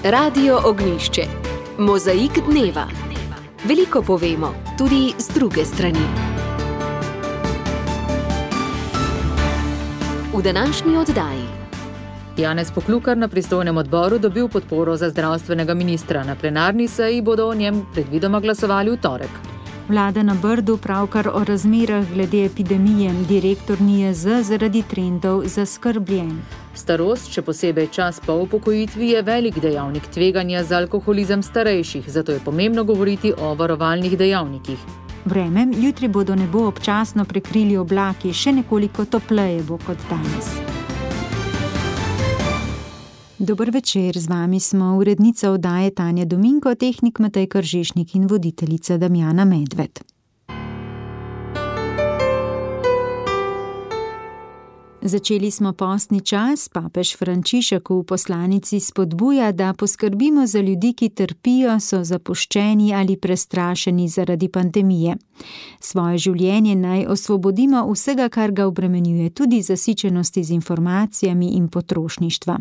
Radio Ognjišče. Mozaik dneva. Veliko povemo, tudi z druge strani. V današnji oddaji. Janez Poklukar na pristojnem odboru dobil podporo za zdravstvenega ministra. Na plenarni seji bodo o njem predvidoma glasovali v torek. Vlada na Brdu pravkar o razmerah glede epidemije. Direktor NIJZ zaradi trendov zaskrbljen. Starost, še posebej čas po upokojitvi, je velik dejavnik tveganja za alkoholizem starejših, zato je pomembno govoriti o varovalnih dejavnikih. Vreme, jutri bodo nebo občasno prekrili oblaki, še nekoliko topleje bo kot danes. Dober večer, z vami smo urednica oddaje Tanja Dominko, tehnik Matej Kržišnik in voditeljica Damjana Medved. Začeli smo postni čas, papež Frančišek v poslanici spodbuja, da poskrbimo za ljudi, ki trpijo, so zapuščeni ali prestrašeni zaradi pandemije. Svoje življenje naj osvobodimo vsega, kar ga obremenjuje, tudi zasičenosti z informacijami in potrošništva.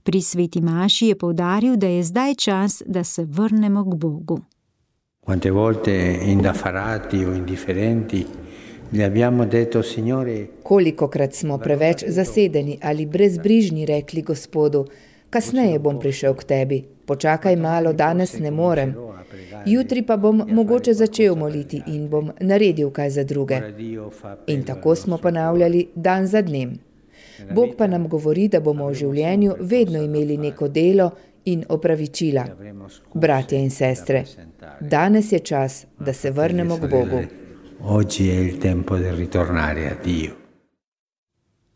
Pri sveti maši je poudaril, da je zdaj čas, da se vrnemo k Bogu. Quante volte indaffarati o indifferenti gli abbiamo detto, Signore. Kolikokrat smo preveč zasedeni ali brezbrižni rekli Gospodu, kasneje bom prišel k tebi, počakaj malo, danes ne morem. Jutri pa bom mogoče začel moliti in bom naredil kaj za druge. In tako smo ponavljali dan za dnem. Bog pa nam govori, da bomo v življenju vedno imeli neko delo in opravičila. Bratje in sestre, danes je čas, da se vrnemo k Bogu. Oggi è il tempo di ritornare a Dio.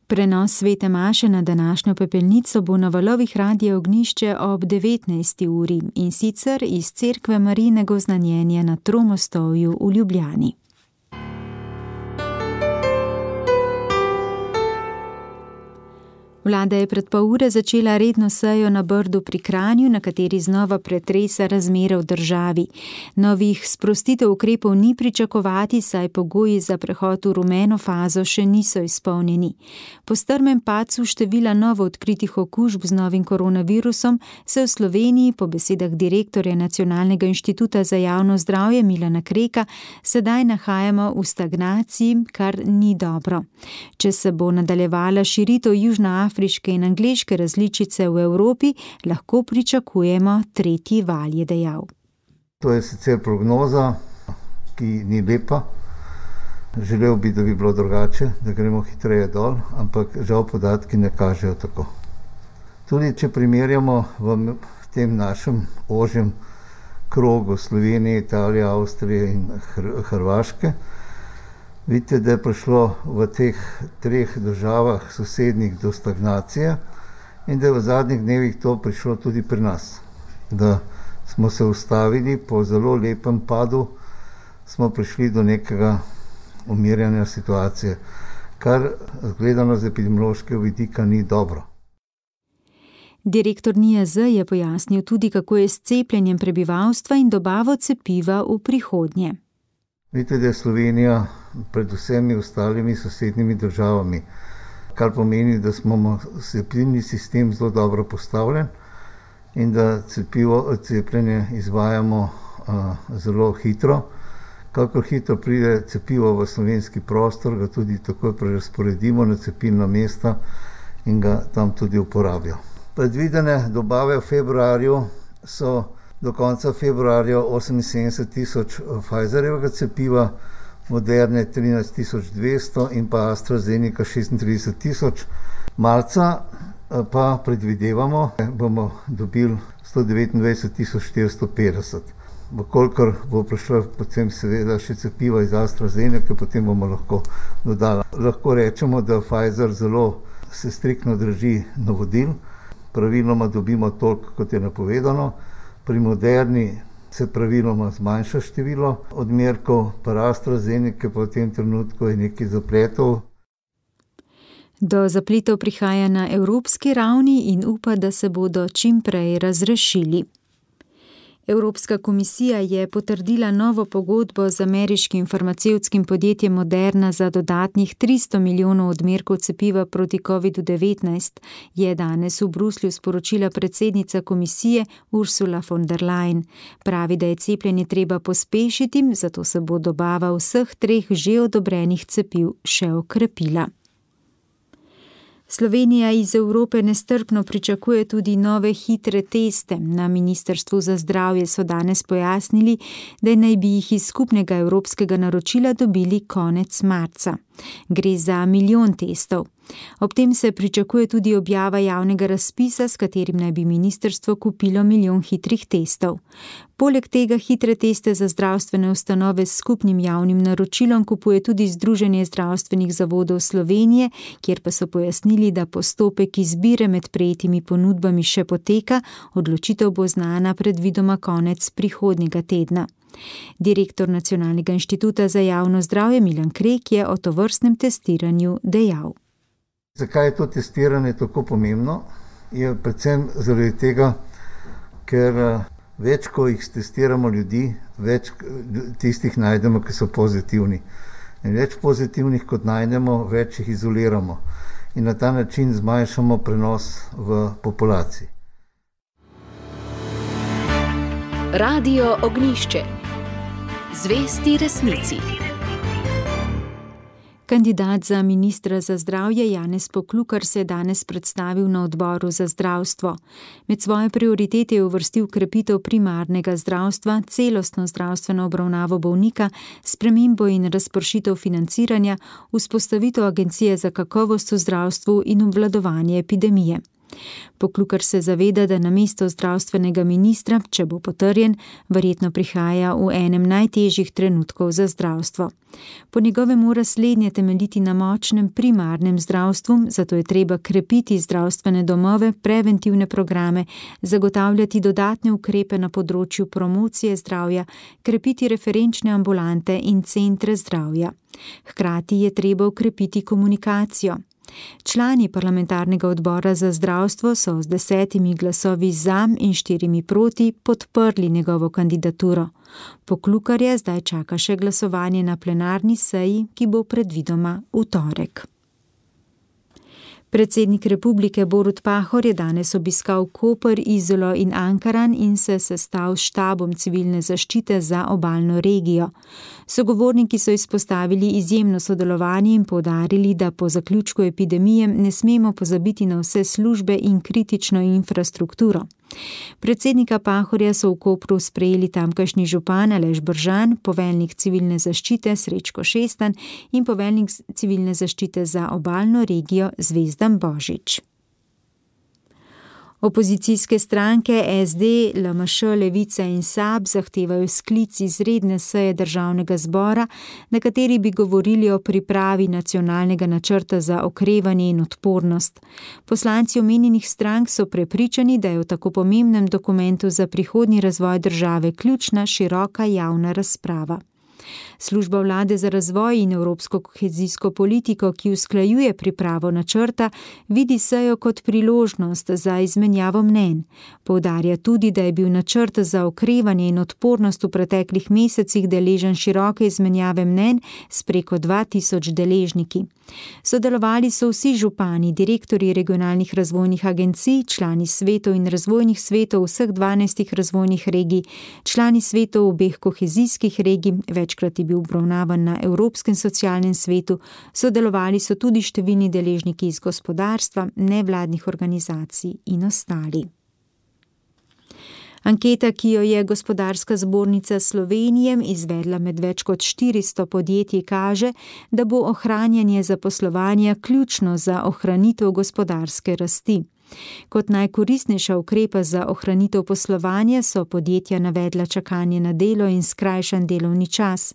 Prenos svete maše na današnjo pepelnico bo na valovih Radia Ognjišče ob 19. uri in sicer iz cerkve Marijinega oznanjenja na Tromostovju v Ljubljani. Vlada je pred pol ure začela redno sejo na Brdu pri Kranju, na kateri znova pretresa razmere v državi. Novih sprostitev ukrepov ni pričakovati, saj pogoji za prehod v rumeno fazo še niso izpolnjeni. Po strmem padcu števila novo odkritih okužb z novim koronavirusom se v Sloveniji, po besedah direktorja Nacionalnega inštituta za javno zdravje Milana Kreka, sedaj nahajamo v stagnaciji, kar ni dobro. Če se bo nadaljevala širitev južnoafriške in angleške različice v Evropi, lahko pričakujemo tretji val, je dejal. To je sicer prognoza, ki ni lepa. Želel bi, da bi bilo drugače, da gremo hitreje dol, ampak žal podatki ne kažejo tako. Tudi če primerjamo v tem našem ožjem krogu Slovenije, Italije, Avstrije in Hrvaške, vidite, da je prišlo v teh treh državah sosednjih do stagnacije in da je v zadnjih dnevih to prišlo tudi pri nas. Da smo se ustavili po zelo lepem padu, smo prišli do nekega umirjanja situacije, kar gledano z epidemiološkega vidika ni dobro. Direktor NIJZ je pojasnil tudi, kako je s cepljenjem prebivalstva in dobavo cepiva v prihodnje. Vidite, da je Slovenija pred vsemi ostalimi sosednjimi državami, kar pomeni, da smo cepilni sistem zelo dobro postavljen in da cepljenje izvajamo zelo hitro. Kakor hitro pride cepivo v slovenski prostor, ga tudi takoj prerazporedimo na cepilna mesta in ga tam tudi uporabijo. Predvidene dobave v februarju so do konca februarja 78.000 Pfizerjevega cepiva, Moderne 13.200 in pa AstraZeneca 36.000. Marca pa predvidevamo, bomo dobili 129.450. Vkolikor bo prišlo potem seveda še cepiva iz AstraZeneca, potem bomo lahko dodali. Lahko rečemo, da Pfizer zelo se striktno drži navodil. Praviloma dobimo toliko, kot je napovedano. Pri Moderni se praviloma zmanjša število odmerkov, pri AstraZeneca pa v tem trenutku je nekaj zapletov. Do zapletov prihaja na evropski ravni in upa, da se bodo čim prej razrešili. Evropska komisija je potrdila novo pogodbo z ameriškim farmacevtskim podjetjem Moderna za dodatnih 300 milijonov odmerkov cepiva proti COVID-19, je danes v Bruslju sporočila predsednica komisije Ursula von der Leyen. Pravi, da je cepljenje treba pospešiti, zato se bo dobava vseh 3 že odobrenih cepiv še okrepila. Slovenija iz Evrope nestrpno pričakuje tudi nove hitre teste. Na Ministrstvu za zdravje so danes pojasnili, da naj bi jih iz skupnega evropskega naročila dobili konec marca. Gre za 1 milijon testov. Ob tem se pričakuje tudi objava javnega razpisa, s katerim naj bi ministrstvo kupilo 1 milijon hitrih testov. Poleg tega hitre teste za zdravstvene ustanove s skupnim javnim naročilom kupuje tudi Združenje zdravstvenih zavodov Slovenije, kjer pa so pojasnili, da postopek izbire med prejetimi ponudbami še poteka, odločitev bo znana predvidoma konec prihodnjega tedna. Direktor Nacionalnega inštituta za javno zdravje Milan Krek je o tovrstnem testiranju dejal. Zakaj je to testiranje tako pomembno? Je predvsem zaradi tega, ker več, ko jih testiramo ljudi, več tistih najdemo, ki so pozitivni. In več pozitivnih, kot najdemo, več jih izoliramo. In na ta način zmanjšamo prenos v populaciji. Radio Ognjišče. Zvesti resnici. Kandidat za ministra za zdravje Janez Poklukar se je danes predstavil na odboru za zdravstvo. Med svoje prioritete je uvrstil krepitev primarnega zdravstva, celostno zdravstveno obravnavo bolnika, spremembo in razpršitev financiranja, vzpostavitev agencije za kakovost v zdravstvu in obvladovanje epidemije. Poklukar se zaveda, da namesto zdravstvenega ministra, če bo potrjen, verjetno prihaja v enem najtežjih trenutkov za zdravstvo. Po njegovem mora slednje temeljiti na močnem primarnem zdravstvu, zato je treba krepiti zdravstvene domove, preventivne programe, zagotavljati dodatne ukrepe na področju promocije zdravja, krepiti referenčne ambulante in centre zdravja. Hkrati je treba ukrepiti komunikacijo. Člani parlamentarnega odbora za zdravstvo so z 10 glasovi za in 4 proti podprli njegovo kandidaturo. Poklukarja zdaj čaka še glasovanje na plenarni seji, ki bo predvidoma v torek. Predsednik republike Borut Pahor je danes obiskal Koper, Izolo in Ankaran in se sestal s štabom civilne zaščite za obalno regijo. Sogovorniki so izpostavili izjemno sodelovanje in poudarili, da po zaključku epidemije ne smemo pozabiti na vse službe in kritično infrastrukturo. Predsednika Pahorja so v Kopru sprejeli tamkajšnji župan Aleš Bržan, poveljnik civilne zaščite Srečko Šestan in poveljnik civilne zaščite za obalno regijo Zvezdan Božič. Opozicijske stranke SD, LMŠ, Levica in SAB zahtevajo sklic izredne seje Državnega zbora, na kateri bi govorili o pripravi nacionalnega načrta za okrevanje in odpornost. Poslanci omenjenih strank so prepričani, da je v tako pomembnem dokumentu za prihodnji razvoj države ključna široka javna razprava. Služba vlade za razvoj in evropsko kohezijsko politiko, ki usklajuje pripravo načrta, vidi sejo kot priložnost za izmenjavo mnenj. Poudarja tudi, da je bil načrt za okrevanje in odpornost v preteklih mesecih deležen široke izmenjave mnenj s preko 2000 deležniki. Sodelovali so vsi župani, direktorji regionalnih razvojnih agencij, člani svetov in razvojnih svetov vseh 12 razvojnih regij, člani svetov obeh kohezijskih regij, večkrat je bil obravnavan na Evropskem socialnem svetu, sodelovali so tudi številni deležniki iz gospodarstva, nevladnih organizacij in ostali. Anketa, ki jo je Gospodarska zbornica Slovenije izvedla med več kot 400 podjetji, kaže, da bo ohranjanje zaposlovanja ključno za ohranitev gospodarske rasti. Kot najkoristnejša ukrepa za ohranitev poslovanja so podjetja navedla čakanje na delo in skrajšan delovni čas.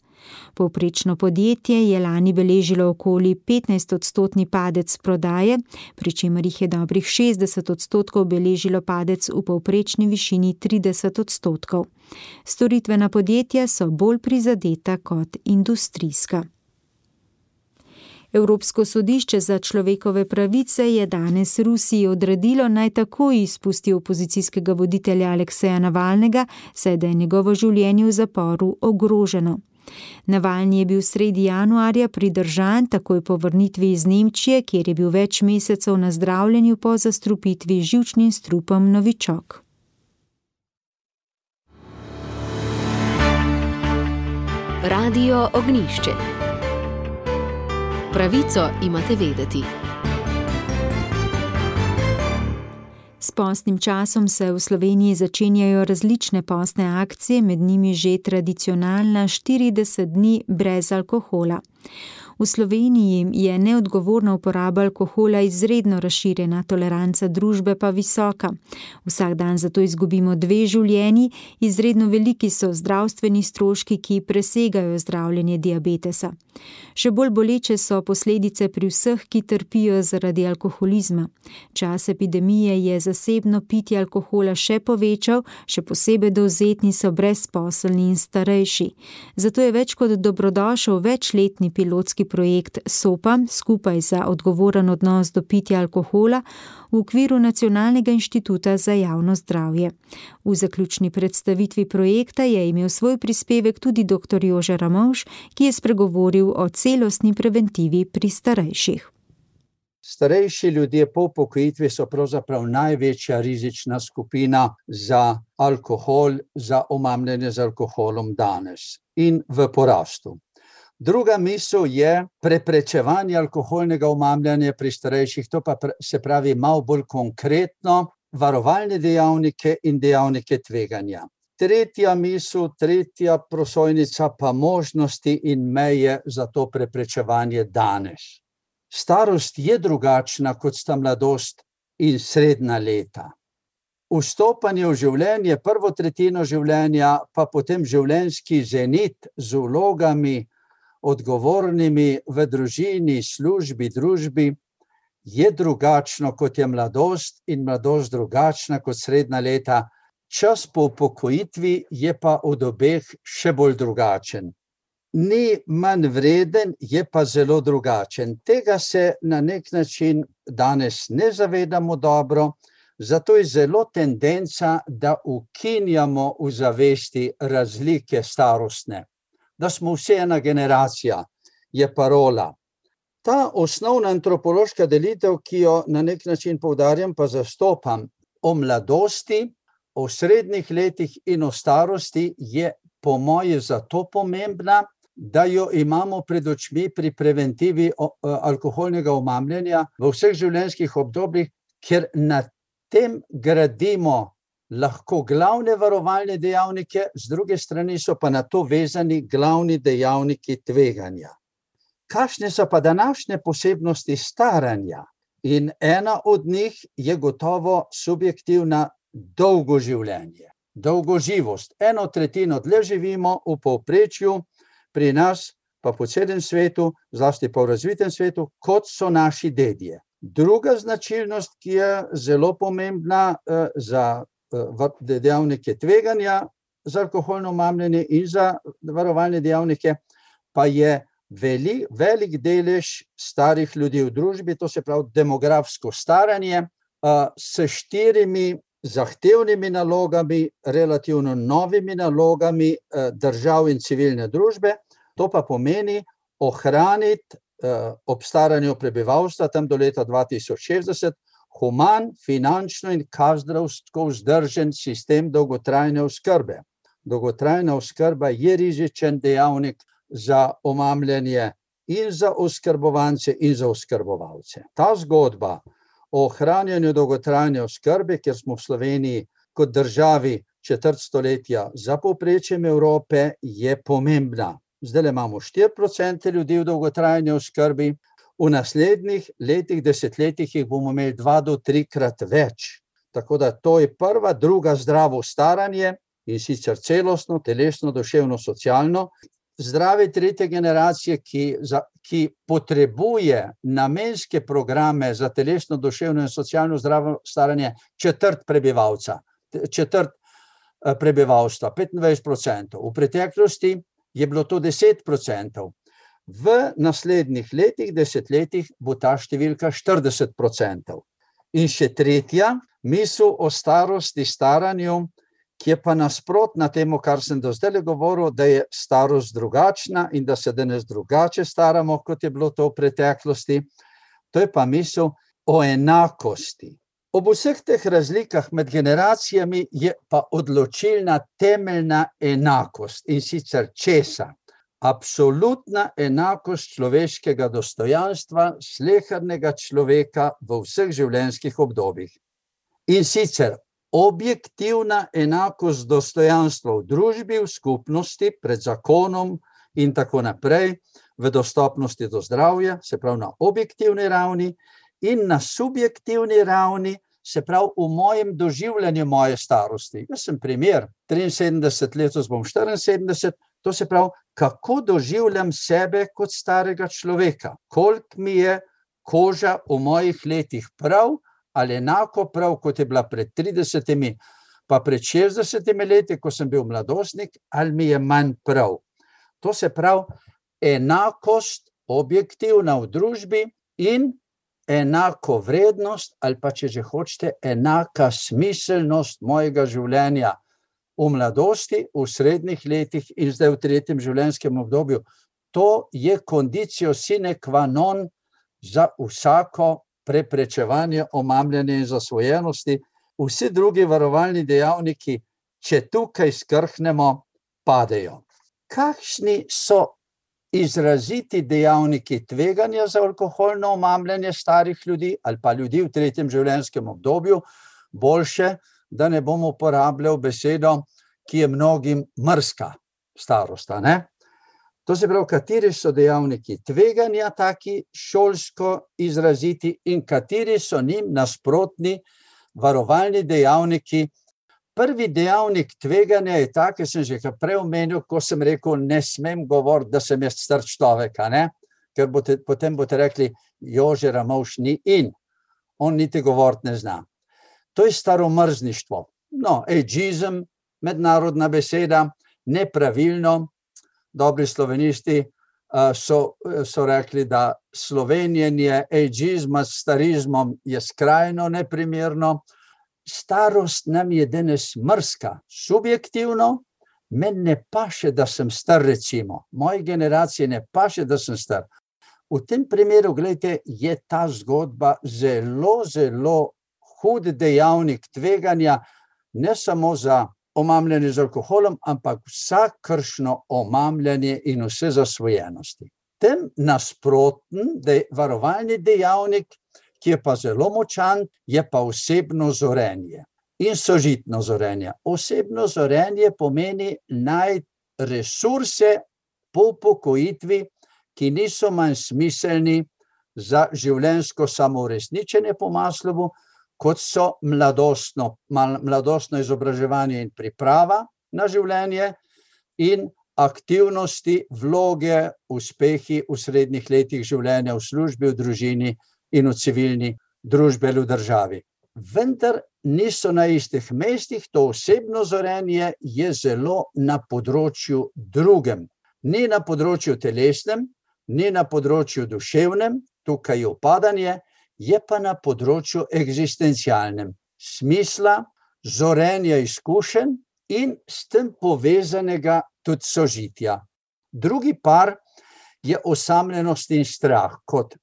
Povprečno podjetje je lani beležilo okoli 15% padec prodaje, pri čemer jih je dobrih 60% beležilo padec v povprečni višini 30%. Storitvena podjetja so bolj prizadeta kot industrijska. Evropsko sodišče za človekove pravice je danes Rusiji odredilo, naj takoj izpusti opozicijskega voditelja Alekseja Navalnega, saj da je njegovo življenje v zaporu ogroženo. Navalni je bil sredi januarja pridržan takoj po vrnitvi iz Nemčije, kjer je bil več mesecev na zdravljenju po zastrupitvi z živčnim strupom novičok. Radio Ognjišče. Pravico imate vedeti. S postnim časom se v Sloveniji začenjajo različne postne akcije, med njimi že tradicionalna 40 dni brez alkohola. V Sloveniji je neodgovorna uporaba alkohola izredno razširjena, toleranca družbe pa visoka. Vsak dan zato izgubimo 2 življenji, izredno veliki so zdravstveni stroški, ki presegajo zdravljenje diabetesa. Še bolj boleče so posledice pri vseh, ki trpijo zaradi alkoholizma. Čas epidemije je zasebno pitje alkohola še povečal, še posebej dovzetni so brezposelni in starejši. Zato je več kot dobrodošel večletni pilotski projekt SOPA, skupaj za odgovoren odnos do pitja alkohola, v okviru Nacionalnega inštituta za javno zdravje. V zaključni predstavitvi projekta je imel svoj prispevek tudi dr. Jože Ramovš, ki je spregovoril o celostni preventivi pri starejših. Starejši ljudje po upokojitvi so pravzaprav največja rizična skupina za alkohol, za omamljanje z alkoholom danes in v porastu. Druga misel je preprečevanje alkoholnega omamljanja pri starejših, to pa se pravi malo bolj konkretno, varovalne dejavnike in dejavnike tveganja. Tretja misel, tretja prosojnica pa možnosti in meje za to preprečevanje danes. Starost je drugačna, kot sta mladost in srednja leta. Vstopanje v življenje, prvo tretjino življenja, pa potem življenjski zenit z vlogami, odgovornimi v družini, službi, družbi, je drugačno, kot je mladost in mladost drugačna kot srednja leta. Čas po upokojitvi je pa od obeh še bolj drugačen. Ni manj vreden, je pa zelo drugačen. Tega se na nek način danes ne zavedamo dobro, zato je zelo tendenca, da ukinjamo v zavesti razlike starostne. Da smo vsi ena generacija, je parola. Ta osnovna antropološka delitev, ki jo na nek način poudarjam, pa zastopam, o mladosti, o srednjih letih in o starosti, je po moje zato pomembna, da jo imamo pred očmi pri preventivi alkoholnega omamljanja v vseh življenjskih obdobjih, ker na tem gradimo lahko glavne varovalne dejavnike, z druge strani so pa na to vezani glavni dejavniki tveganja. Kakšne so pa današnje posebnosti staranja? In ena od njih je gotovo subjektivna dolgo življenje, dolgoživost. 1/3 dlje živimo v povprečju, pri nas pa po celem svetu, zlasti pa v razvitem svetu, kot so naši dedje. Druga značilnost, ki je zelo pomembna za dejavnike tveganja za alkoholno omamljanje in za varovalne dejavnike, pa je velik delež starih ljudi v družbi, to se pravi demografsko staranje, s 4 zahtevnimi nalogami, relativno novimi nalogami držav in civilne družbe. To pa pomeni ohraniti ob staranju prebivalstva tam do leta 2060 human, finančno in kadrovsko vzdržen sistem dolgotrajne oskrbe. Dolgotrajna oskrba je rizičen dejavnik za omamljanje in za oskrbovance in za oskrbovalce. Ta zgodba o ohranjanju dolgotrajne oskrbe, kjer smo v Sloveniji kot državi četrt stoletja za povprečjem Evrope, je pomembna. Zdaj imamo 4% ljudi v dolgotrajni oskrbi, v naslednjih letih, desetletjih jih bomo imeli 2 do 3-krat več. Tako da to je prva, druga zdravo staranje in sicer celostno, telesno, duševno, socialno. Zdrave tretje generacije, ki potrebuje namenske programe za telesno, duševno in socialno zdravo staranje, četrt prebivalstva, 25%. V preteklosti je bilo to 10%. V naslednjih letih, desetletjih bo ta številka 40%. In še tretja misel o starosti, staranju, ki je pa nasprotna temu, kar sem do zdaj govoril, da je starost drugačna in da se danes drugače staramo, kot je bilo to v preteklosti. To je pa misel o enakosti. Ob vseh teh razlikah med generacijami je pa odločilna temeljna enakost. In sicer česa? Absolutna enakost človeškega dostojanstva, slehernega človeka v vseh življenjskih obdobjih. In sicer objektivna enakost dostojanstva v družbi, v skupnosti, pred zakonom in tako naprej, v dostopnosti do zdravja, se pravi na objektivni ravni, in na subjektivni ravni, se pravi v mojem doživljanju moje starosti. Jaz sem primer, 73 let, bom 74, to se pravi, kako doživljam sebe kot starega človeka, koliko mi je koža v mojih letih prav, ali enako prav, kot je bila pred 30 pa pred 60 leti, ko sem bil mladostnik, ali mi je manj prav. To se pravi, enakost objektivna v družbi in enako vrednost, ali pa če že hočete, enaka smiselnost mojega življenja v mladosti, v srednjih letih in zdaj v tretjem življenjskem obdobju. To je conditio sine qua non za vsako preprečevanje omamljanja in zasvojenosti. Vsi drugi varovalni dejavniki, če tukaj skrhnemo, padejo. Kakšni so izraziti dejavniki tveganja za alkoholno omamljanje starih ljudi ali pa ljudi v tretjem življenjskem obdobju? Boljše, da ne bom uporabljal besedo, ki je mnogim mrzka starost, ne? To se pravi, kateri so dejavniki tveganja taki šolsko izraziti in kateri so njim nasprotni varovalni dejavniki. Prvi dejavnik tveganja je ta, ki sem že prej omenil, ko sem rekel, ne smem govoriti, da sem jaz star človek, ne? Ker potem boste rekli, Jože Ramovš ni in. On niti govoriti ne zna. To je staromrzništvo. No, ageizem, mednarodna beseda, nepravilno. Dobri slovenisti so rekli, da slovenjenje ageizma s starizmom je skrajno neprimerno. Starost nam je danes mrzka, subjektivno, meni ne paše, da sem star, recimo. Moji generaciji ne paše, da sem star. V tem primeru, gledajte, je ta zgodba zelo, zelo hud dejavnik tveganja, ne samo za omamljanje z alkoholom, ampak vsakršno omamljanje in vse zasvojenosti. Tem nasproten varovalni dejavnik, ki je pa zelo močan, je pa osebno zorenje in sožitno zorenje. Osebno zorenje pomeni najti resurse po upokojitvi, ki niso manj smiselni za življenjsko samouresničenje po Maslowu, kot so mladostno izobraževanje in priprava na življenje in aktivnosti, vloge, uspehi v srednjih letih življenja v službi, v družini in v civilni družbi ali v državi. Vendar niso na istih mestih, to osebno zorenje je zelo na področju drugem. Ni na področju telesnem, ni na področju duševnem, tukaj je upadanje, je pa na področju eksistencialnem, smisla, zorenja izkušenj in s tem povezanega tudi sožitja. Drugi par je osamljenost in strah kot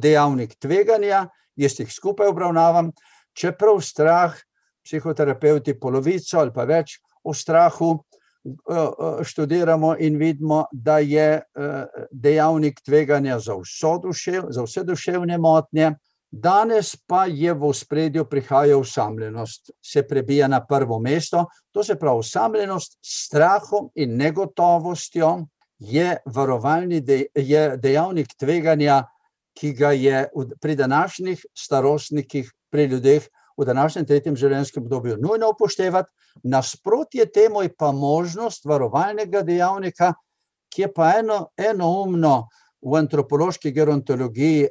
dejavnik tveganja, jaz jih skupaj obravnavam, čeprav strah, psihoterapeuti polovico ali pa več o strahu študiramo in vidimo, da je dejavnik tveganja za vse duševne motnje. Danes pa je v ospredju prihaja osamljenost, se prebija na prvo mesto. To se pravi, osamljenost s strahom in negotovostjo je dejavnik tveganja, ki ga je pri današnjih starostnikih, pri ljudeh v današnjem tretjem življenjskem obdobju nujno upoštevati. Nasprotje temu je pa možnost varovalnega dejavnika, ki je pa enoumno v antropološki gerontologiji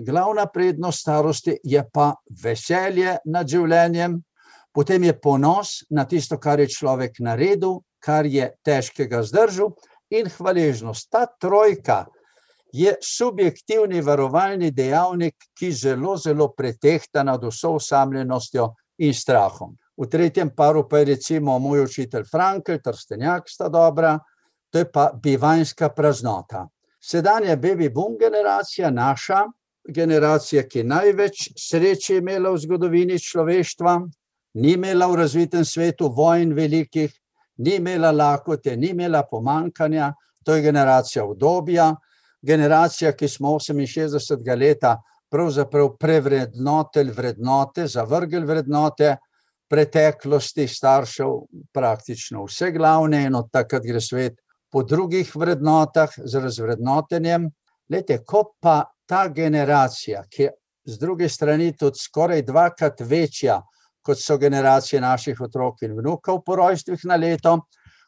glavna prednost starosti, je pa veselje nad življenjem, potem je ponos na tisto, kar je človek naredil, kar je težkega zdržal, in hvaležnost. Ta trojka je subjektivni varovalni dejavnik, ki zelo, zelo pretehta nad vso osamljenostjo in strahom. V tretjem paru pa je recimo moj učitelj Frankl, Trstenjak sta dobra, to je pa bivanjska praznota. Sedanja baby boom generacija, naša generacija, ki največ sreče imela v zgodovini človeštva, ni imela v razvitem svetu vojn velikih, ni imela lakote, ni imela pomankanja, to je generacija udobja, generacija, ki smo 68. leta pravzaprav prevrednotili vrednote, zavrgli vrednote preteklosti staršev, praktično vse glavne, in od takrat gre svet po drugih vrednotah z razvrednotenjem. Glejte, ko pa ta generacija, ki je z druge strani tudi skoraj dvakrat večja, kot so generacije naših otrok in vnukov po rojstvih na leto,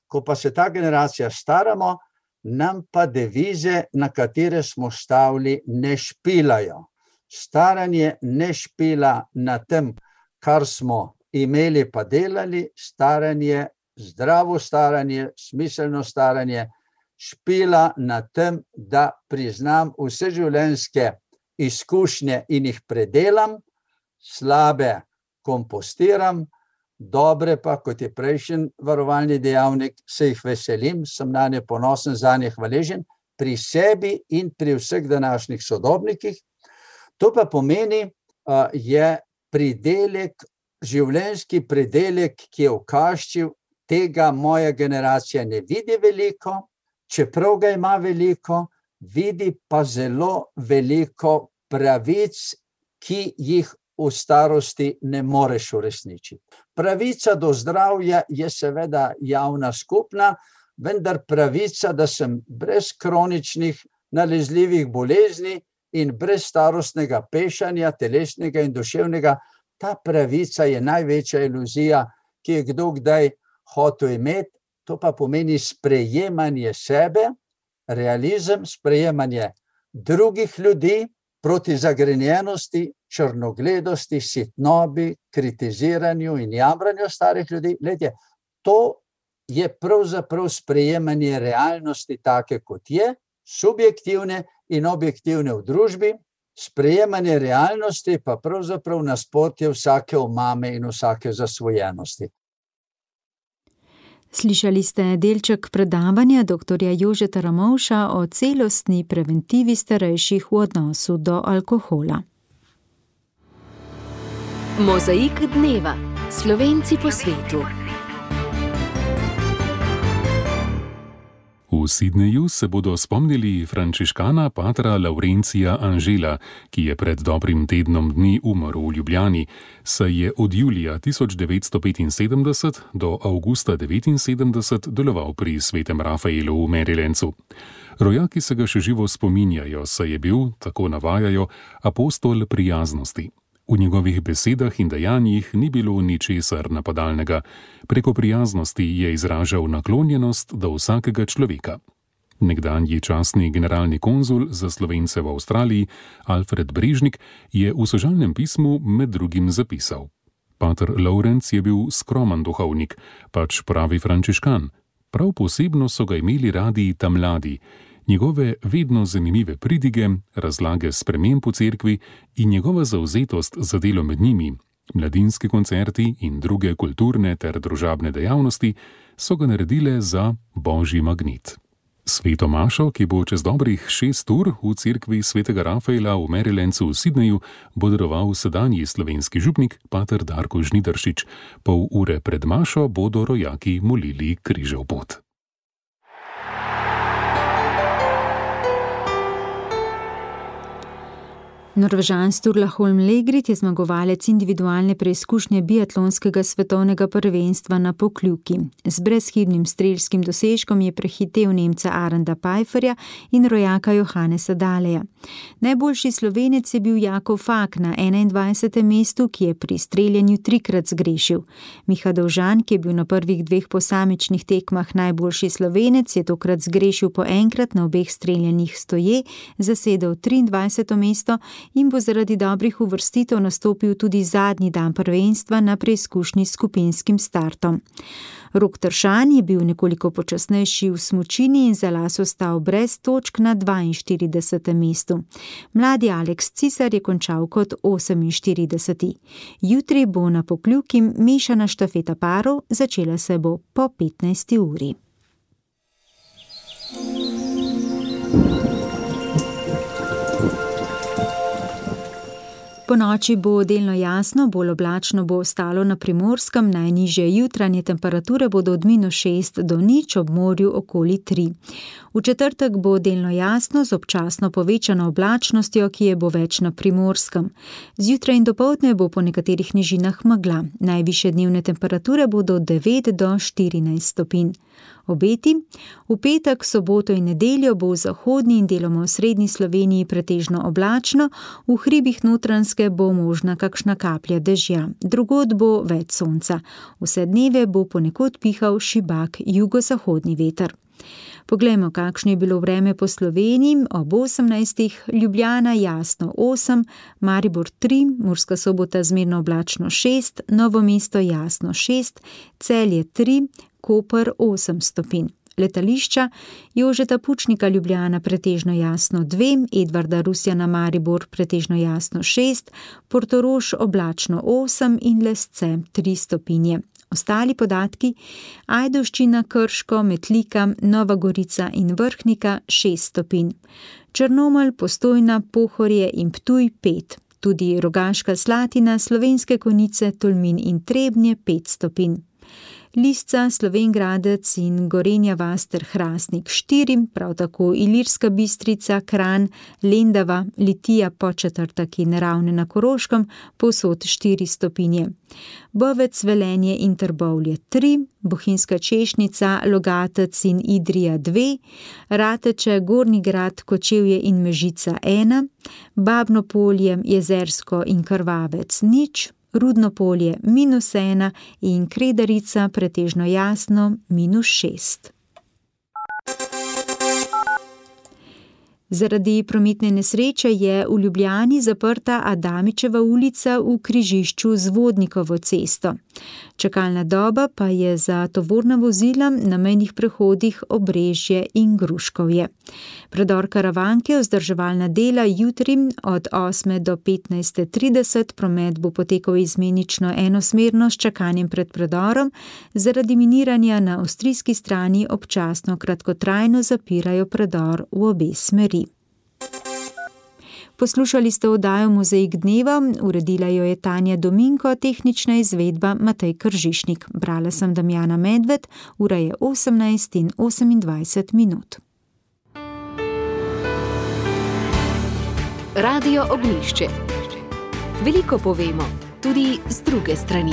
ko pa se ta generacija staramo, nam pa devize, na katere smo stavili, ne špilajo. Staranje ne špila na tem, kar smo imeli pa delali, staranje, zdravo staranje, smiselno staranje, špila na tem, da priznam vse življenjske izkušnje in jih predelam, slabe kompostiram, dobre pa, kot je prejšnji varovalni dejavnik, se jih veselim, sem na nje ponosen, za nje hvaležen, pri sebi in pri vseh današnjih sodobnikih. To pa pomeni, je pridelek, življenjski pridelek, ki je ukaščiv, tega moja generacija ne vidi veliko, čeprav ga ima veliko, vidi pa zelo veliko pravic, ki jih v starosti ne moreš uresničiti. Pravica do zdravja je seveda javna skupna, vendar pravica, da sem brez kroničnih nalezljivih bolezni in brez starostnega pešanja, telesnega in duševnega, ta pravica je največja iluzija, ki je kdo kdaj hotel imeti. To pa pomeni sprejemanje sebe, realizem, sprejemanje drugih ljudi proti zagrenjenosti, črnogledosti, sitnobi, kritiziranju in jamranju starih ljudi. Glejte, to je pravzaprav sprejemanje realnosti take, kot je, subjektivne in objektivne v družbi, sprejemanje realnosti pa pravzaprav nasprotje vsake omame in vsake zasvojenosti. Slišali ste delček predavanja dr. Jožeta Ramovša o celostni preventivi starejših v odnosu do alkohola. Mozaik dneva. Slovenci po svetu. V Sydneyju se bodo spomnili frančiškana patra Laurencija Anžela, ki je pred dobrim tednom dni umrl v Ljubljani, saj je od julija 1975 do avgusta 1979 deloval pri svetem Rafaelu v Marylandu. Rojaki se ga še živo spominjajo, saj je bil, tako navajajo, apostol prijaznosti. V njegovih besedah in dejanjih ni bilo ničesar napadalnega. Preko prijaznosti je izražal naklonjenost do vsakega človeka. Nekdanji častni generalni konzul za Slovence v Avstraliji, Alfred Brežnik, je v sožalnem pismu med drugim zapisal: Pater Laurenc je bil skromen duhovnik, pač pravi frančiškan. Prav posebno so ga imeli radi ta mladi. Njegove vedno zanimive pridige, razlage sprememb v cerkvi in njegova zavzetost za delo med njimi, mladinski koncerti in druge kulturne ter družabne dejavnosti so ga naredile za božji magnet. Sveto mašo, ki bo čez dobrih 6 ur v cerkvi svetega Rafaela v Marylandu v Sydneyju, bo daroval sedanji slovenski župnik pater Darko Žnidaršič. Pol ure pred mašo bodo rojaki molili križev pot. Norvežan Sturla Holm Legrid je zmagovalec individualne preizkušnje biatlonskega svetovnega prvenstva na Pokljuki. Z brezhibnim strelskim dosežkom je prehitel Nemca Aranda Pfeifferja in rojaka Johannesa Dahleja. Najboljši Slovenec je bil Jakov Fak na 21. mestu, ki je pri streljanju 3-krat zgrešil. Miha Dovžan, ki je bil na prvih 2 posamičnih tekmah najboljši Slovenec, je tokrat zgrešil po enkrat na obeh streljanjih stoje, zasedel 23. mesto in bo zaradi dobrih uvrstitev nastopil tudi zadnji dan prvenstva na preizkušnji s skupinskim startom. Rok Tršan je bil nekoliko počasnejši v smučini in za las ostal brez točk na 42. mestu. Mladi Aleks Cisar je končal kot 48. Jutri bo na Pokljuki mešana štafeta parov, začela se bo po 15. uri. Po noči bo delno jasno, bolj oblačno bo ostalo na Primorskem, najnižje jutranje temperature bodo od -6 do 0, ob morju okoli 3. V četrtek bo delno jasno z občasno povečano oblačnostjo, ki je bo več na Primorskem. Zjutraj in dopoldne bo po nekaterih nižinah megla. Najvišje dnevne temperature bodo od 9 do 14 stopinj. Obeti. V petek, soboto in nedeljo bo v zahodni in deloma v srednji Sloveniji pretežno oblačno, v hribih Notranjske bo možna kakšna kaplja dežja, drugod bo več sonca. Vse dneve bo ponekod pihal šibak jugozahodni veter. Poglejmo, kakšno je bilo vreme po Sloveniji. Ob 18. Ljubljana jasno 8, Maribor 3, Murska Sobota zmerno oblačno 6, Novo mesto jasno 6, Celje 3, Koper 8 stopinj. Letališča: Jožeta Pučnika Ljubljana pretežno jasno 2, Edvarda Rusjana Maribor pretežno jasno 6, Portorož oblačno 8 in Lesce 3 stopinje. Ostali podatki: Ajdovščina, Krško, Metlika, Nova Gorica in Vrhnika 6 stopinj. Črnomelj, Postojna, Pohorje in Ptuj 5. Tudi Rogaška Slatina, Slovenske Konjice, Tolmin in Trebnje 5 stopinj. Lisca, Slovenj Gradec in Gorenja vas ter Hrastnik 4, prav tako Ilirska Bistrica, Kranj, Lendava, Litija, Podčetrtek in Ravne na Koroškem povsod 4 stopinje. Bovec, Velenje in Trbovlje 3, Bohinjska Češnica, Logatec in Idrija 2, Rateče, Gornji Grad, Kočevje in Mežica 1, Babno Polje, Jezersko in Krvavec 0, Rudno Polje -1 in Kredarica pretežno jasno -6. Zaradi prometne nesreče je v Ljubljani zaprta Adamičeva ulica v križišču z Vodnikovo cesto. Čakalna doba pa je za tovorna vozila na mejnih prehodih Obrežje in Gruškovje. Predor Karavanke, vzdrževalna dela jutri od 8 do 15:30, promet bo potekal izmenično enosmerno s čakanjem pred predorom, zaradi miniranja na avstrijski strani občasno kratkotrajno zapirajo predor v obe smeri. Poslušali ste oddajo Mozaik dneva, uredila jo je Tanja Dominko, tehnična izvedba Matej Kržišnik. Brala sem Damjana Medved, ura je 18:28. Radio Ognjišče. Veliko povemo, tudi z druge strani.